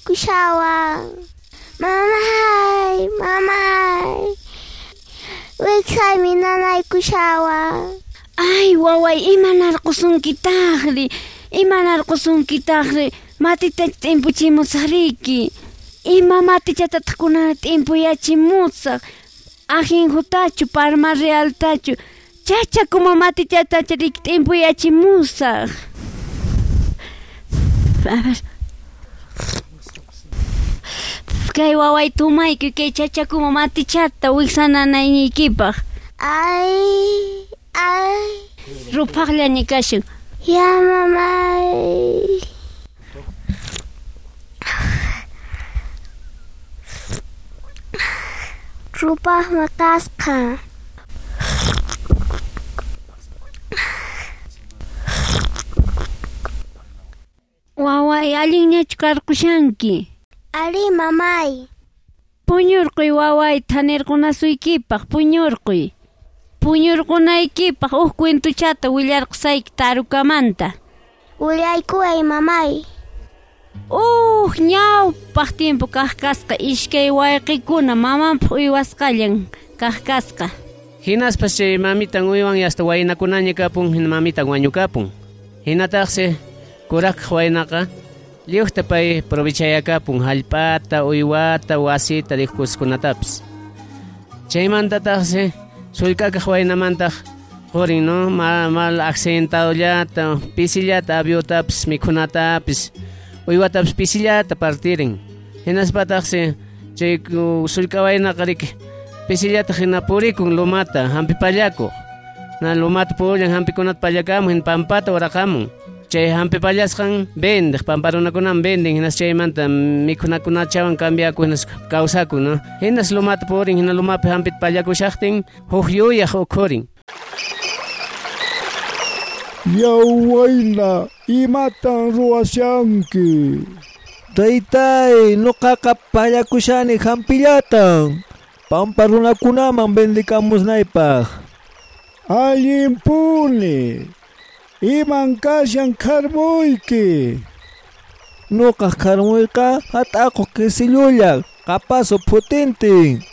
nanaykushawan. Mamay, mamay. Wiksaymi nanaykushawan. Ay, waway, imanarqusunkitaqri? Imanarqusunkitaqri? Matita t'impuchimusaqriki. Ima matichatataq kunana t'impuyachimusaq? Ajenjotachu, parma realtachu, chachakuma matichatachu riki t'impuyachimusaq. A ver. Kay waway tumaykuy kay chachakuma matichata wiksananayniykipaq. Ay, ay. Ruphaqllaña kashan. Ya, mamay. Rupaqmi kasqa. Waway, allinñachu karqushanki? Ari, mamay. Puñurquy, waway, thanirqunasuykipaq, puñurquy. Puñurqunaykipaq uj cuentuchata willarqusayki tarukamanta. Willaykuway, mamay. Uj ñawpaq tiempo kaq kasqa iskay wayqikuna mamanpaq uywasqallan kaq kasqa. Hinaspas chay mamitan uywan hasta waynakunaña kapun, hina mamitan wañukapun. Hinataqsi kuraq waynaqa lliwta pay provechayakapun hallp'ata, uywata, wasita, riqkuskunatapis. Chaymantataqsi sullk'akaq waynamantaq qurin, no? Mal accidentadollata, pisillata aviotapis, mikhunatapis, uywatapis pisillata partirin. Hinaspataqsi chay sullk'a waynaqa riki pisillata hina purikun lumata, hampi pallakuq. Na lumata pullan hampikunata pallakamun, hina pampata uraqamun. Chay hampi pallasqan vendeq, pamparunakunaman venden, hinas chaymanta mikhunakunachawan cambiakun, hinas kawsakun, no? Hinas lumata purin, hina lumapi hampita pallakushaqtin, huk yuyaq ukhurin. Yaw wayna, imatan ruwashanki? Taytay, nuqaqa pallakushani hampillatan. Pampa runakunaman vendikamusnaypaq. Allinpuni. Iman kashan kharmuyki? Nuqaq kharmuyqa hat'aqu kisillulla, qapasu phutintin.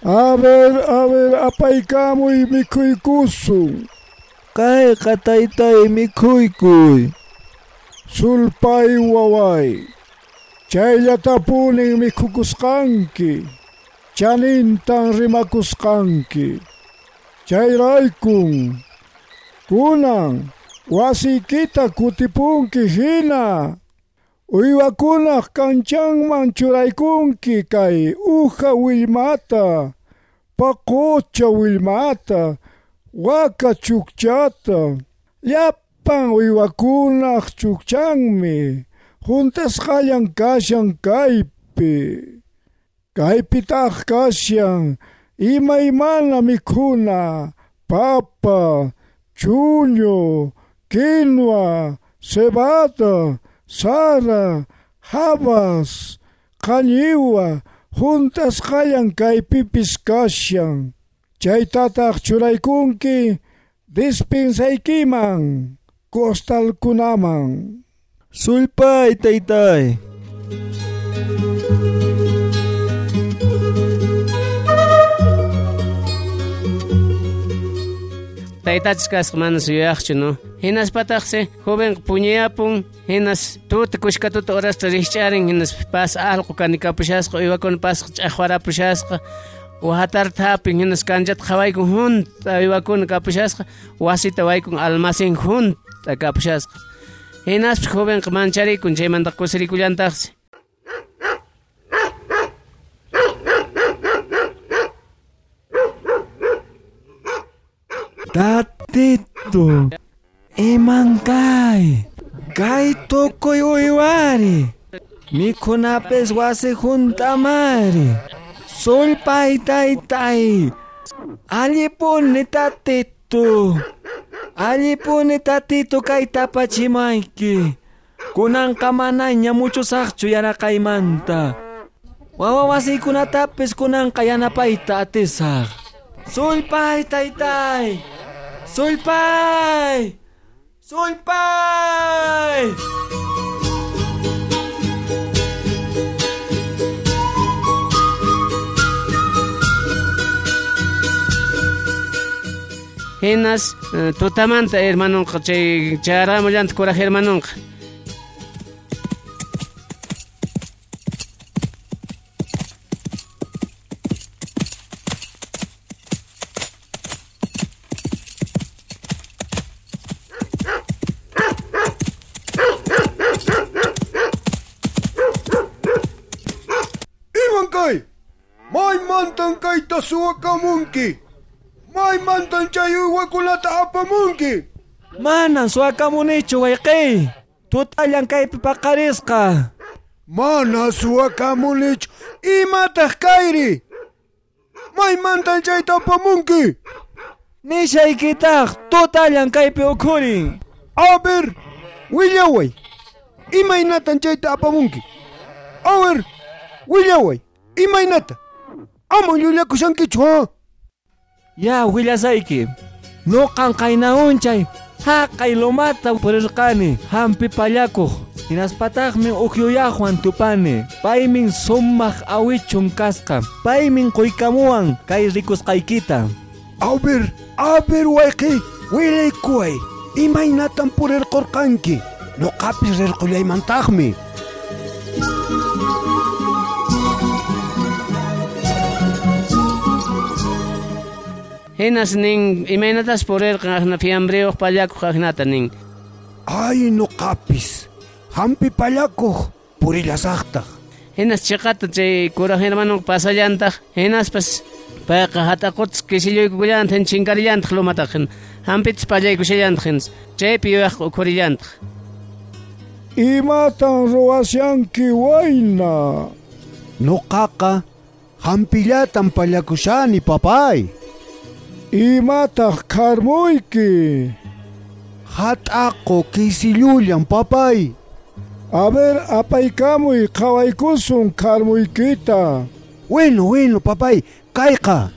A ver, apaykamuy mikhuykusun. Kayqa taytay mikhuykuy. Sulpay waway, chayllatapuni mikhukusqanki, chanintan rimakusqanki. Chayraykun, kunan wasiykita kutipunki hina. Uywakunaq kanchanman churaykunki kay uja willmata, paqucha willmata, waka chukchata, llapan uywakunaq chukchanmi, juntasqallan kashan kaypi. Kaypitaq kashan imaymana mikhuna, papa, chuño, quinua, cebada, sara, habas, qañiwa, juntasqallan kaypipis kashan. Chaytataq churaykunki dispensaykiman, costalkunaman. Sulpay, taytay. Taytachis kasqa manas yuyaqchu, no? Hinaspataqsi joven puñuyapun, hinas tuta kushka tuta horasta rikch'arin, hinas pas allqu kanikapushasqa, uywakuna pasqa ch'aqwarapushasqa, wahatarta hapin, hinas kanchata qhawaykun junta uywakuna kapushasqa, wasita waykun almacén junta kapushasqa. Hinaspas jovenqa mancharikun, chaymanta kusirikullantaqsi. Tatito, iman kay, kay tukuy uywari, mikhunapis wasi juntamari, sulpay taytay, allipuni tatito, allipuni tatito kay tapachimayki, kunanqa manaña muchusaqchu yaraqaymanta, wawa wasiykunatapis kunanqa yanapayta atisaq. Sulpay taytay. Sulpay! Sulpay! Hinas tutamanta hermanonqa chay chayaramullanta kuraj hermanonqa. Imankay, maymantan kayta suwakamunki? Maymantan chay uywakunata apamunki? Manan suwakamunichu wayqiy. Tutallan kaypi paqarisqa. Mana suwakamunichu. Imataq kayri? Maymantan chayta apamunki? Nishaykitaq tutallan kaypi ukhurin. A ver, willaway. Imaynatan chayta apamunki? A ver, willaway. Imaynata? Ama llullakushankichu, ha? Ya, willasayki. Nuqan qaynahunchay haqay lomata purirqani hampi pallakuq. Hinaspataqmi ukyuyaqwan tupani. Paymin sumaq awichun kasqa. Paymin quykamuwan kay rikusqaykita. A ver wayqi, willaykuway. Imaynatan purirqurqanki? Nuqapis rirqullaymantaqmi. Hinas nin imaynatas purirqan aqna fiambriyuq pallakuq aqnata nin. Ay nuqapis hampi pallakuq purillasaqtaq. Hinas chiqata chay kuraj hermano pasallantaq hinaspas payqa hat'aqutas kisilluykullantaq chinkarillantaq lumataq hampitas pallaykushallantaq hinas chaypi yuyaqqa ukhurillantaq. Imatan ruwashanki wayna? Nuqaqa hampillatan pallakushani papay. Imataq karmuyki? Hat'aqu kisillullan papay. A ver, apaykamuy qhawaykusun karmuykita. Bueno, papay, kayqa.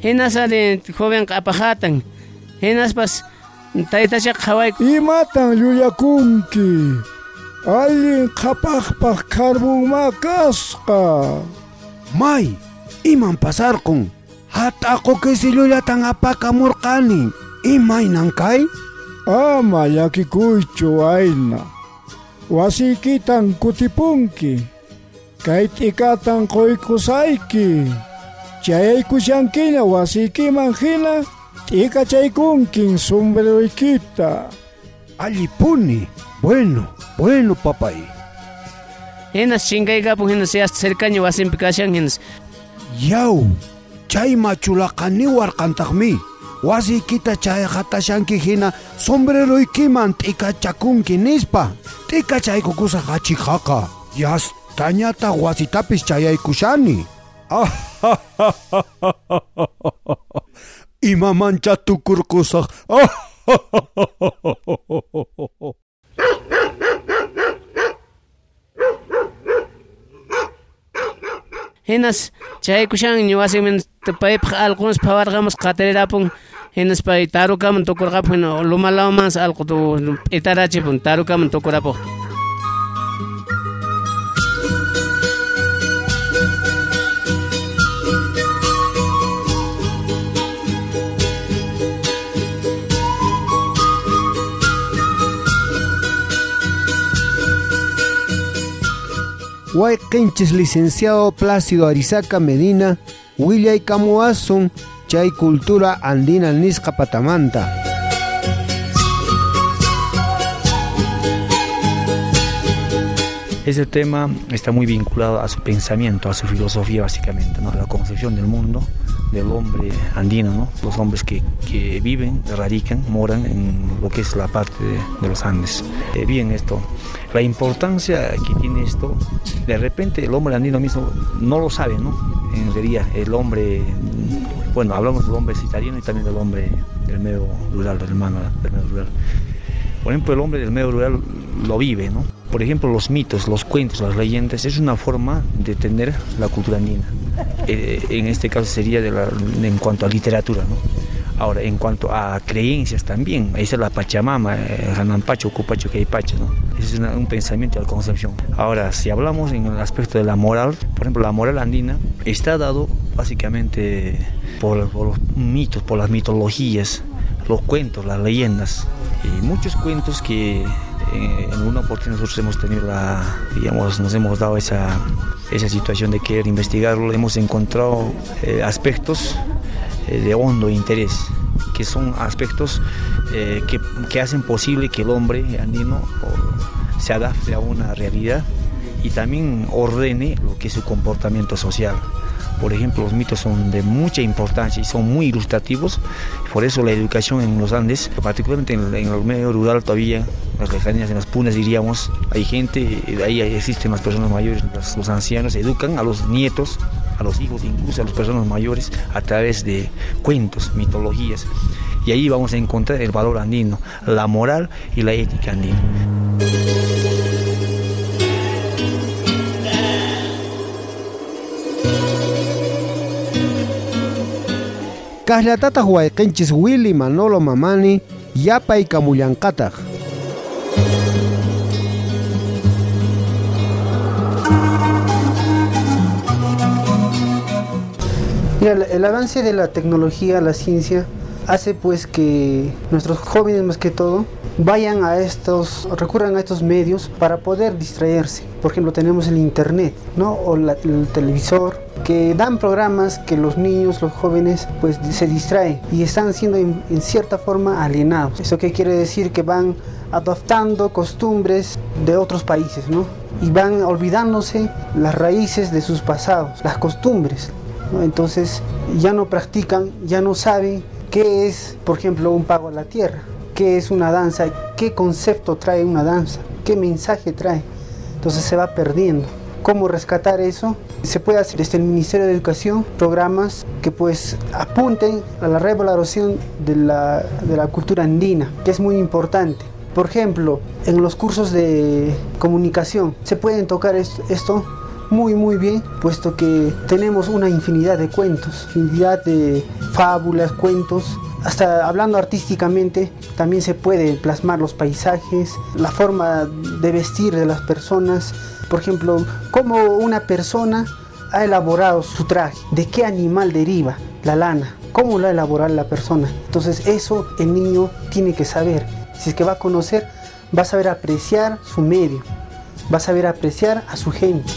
Hinas ari jovenqa apahatan. Hinaspas taytachaqa qhawayku. Imatan llullakunki? Allin qhapaqpaq karmunma kasqa. May, iman pasarqun? Hat'aqu kisillulatan apakamurqani. Imaynan kay? Ama llakikuychu wayna. Wasiykitan kutipunki. Kay t'ikatan quykusayki. Chayaykushankiña wasiykiman hina t'ikachaykunkin sombreroykita. Allipuni. Bueno, papay. Hinas chinkaykapun hinas yasta cercaña wasinpi kashan hinas. Yaw. Chay machulaqaniwarqantaqmi. Wasiykita chayqatashanki hina sombreroykiman t'ikachakunki nispa. T'ikachaykukusaq achikhaqa. Yastañataq wasitapis chayaykushani. Imamancha tukurqusaq. Hinas chaykushan wasiman paypaq allqunas phawarqamus qatirirapun hinas pay tarukaman tukurqapun lumalawmansi allqu p'itarachipun tarukaman tukurapuq. Wayqinchis licenciado Plácido Arizaca Medina, willaykamuwasun chay cultura andina nisqa patamanta. Ese tema está muy vinculado a su pensamiento, a su filosofía básicamente, ¿no? A la concepción del mundo, del hombre andino, ¿no? Los hombres que viven, radican, moran en lo que es la parte de los Andes. Bien esto, la importancia que tiene esto, de repente el hombre andino mismo no lo sabe, ¿no? En realidad el hombre, bueno, hablamos del hombre citadino y también del hombre del medio rural, del hermano del medio rural. Por ejemplo, el hombre del medio rural lo vive, ¿no? Por ejemplo, los mitos, los cuentos, las leyendas, es una forma de tener la cultura andina. En este caso sería en cuanto a literatura, ¿no? Ahora, en cuanto a creencias también, esa es la Pachamama, Hanampacho, Cupacho, Queipacho, ¿no? Ese es un pensamiento de la concepción. Ahora, si hablamos en el aspecto de la moral, por ejemplo, la moral andina está dado básicamente por los mitos, por las mitologías, Los cuentos, las leyendas. Y muchos cuentos que en alguna oportunidad nosotros hemos tenido la, digamos, nos hemos dado esa situación de querer investigarlo, hemos encontrado aspectos de hondo interés, que son aspectos que hacen posible que el hombre andino se adapte a una realidad y también ordene lo que es su comportamiento social. Por ejemplo, los mitos son de mucha importancia y son muy ilustrativos. Por eso la educación en los Andes, particularmente en el medio rural todavía, en las lejanías, en las punas diríamos, hay gente, ahí existen las personas mayores, los ancianos educan a los nietos, a los hijos, incluso a las personas mayores a través de cuentos, mitologías. Y ahí vamos a encontrar el valor andino, la moral y la ética andina. Kaqllatataq wayqinchis Willy Manolo Mamani yapaykamullanqataq. Mira, el avance de la tecnología, la ciencia, hace pues que nuestros jóvenes más que todo vayan a estos, recurran a estos medios para poder distraerse. Por ejemplo, tenemos el internet, ¿no? O el televisor, que dan programas que los niños, los jóvenes, pues se distraen y están siendo en cierta forma alienados. ¿Eso qué quiere decir? Que van adoptando costumbres de otros países, ¿no? Y van olvidándose las raíces de sus pasados, las costumbres, ¿no? Entonces ya no practican, ya no saben qué es, por ejemplo, un pago a la tierra, qué es una danza, qué concepto trae una danza, qué mensaje trae. Entonces se va perdiendo. ¿Cómo rescatar eso? Se puede hacer desde el Ministerio de Educación programas que pues apunten a la revaloración de la cultura andina, que es muy importante. Por ejemplo, en los cursos de comunicación se pueden tocar esto muy muy bien, puesto que tenemos una infinidad de cuentos, infinidad de fábulas, cuentos. Hasta hablando artísticamente también se puede plasmar los paisajes, la forma de vestir de las personas. Por ejemplo, cómo una persona ha elaborado su traje, de qué animal deriva la lana, cómo lo ha elaborado la persona. Entonces eso el niño tiene que saber. Si es que va a conocer, va a saber apreciar su medio, va a saber apreciar a su gente.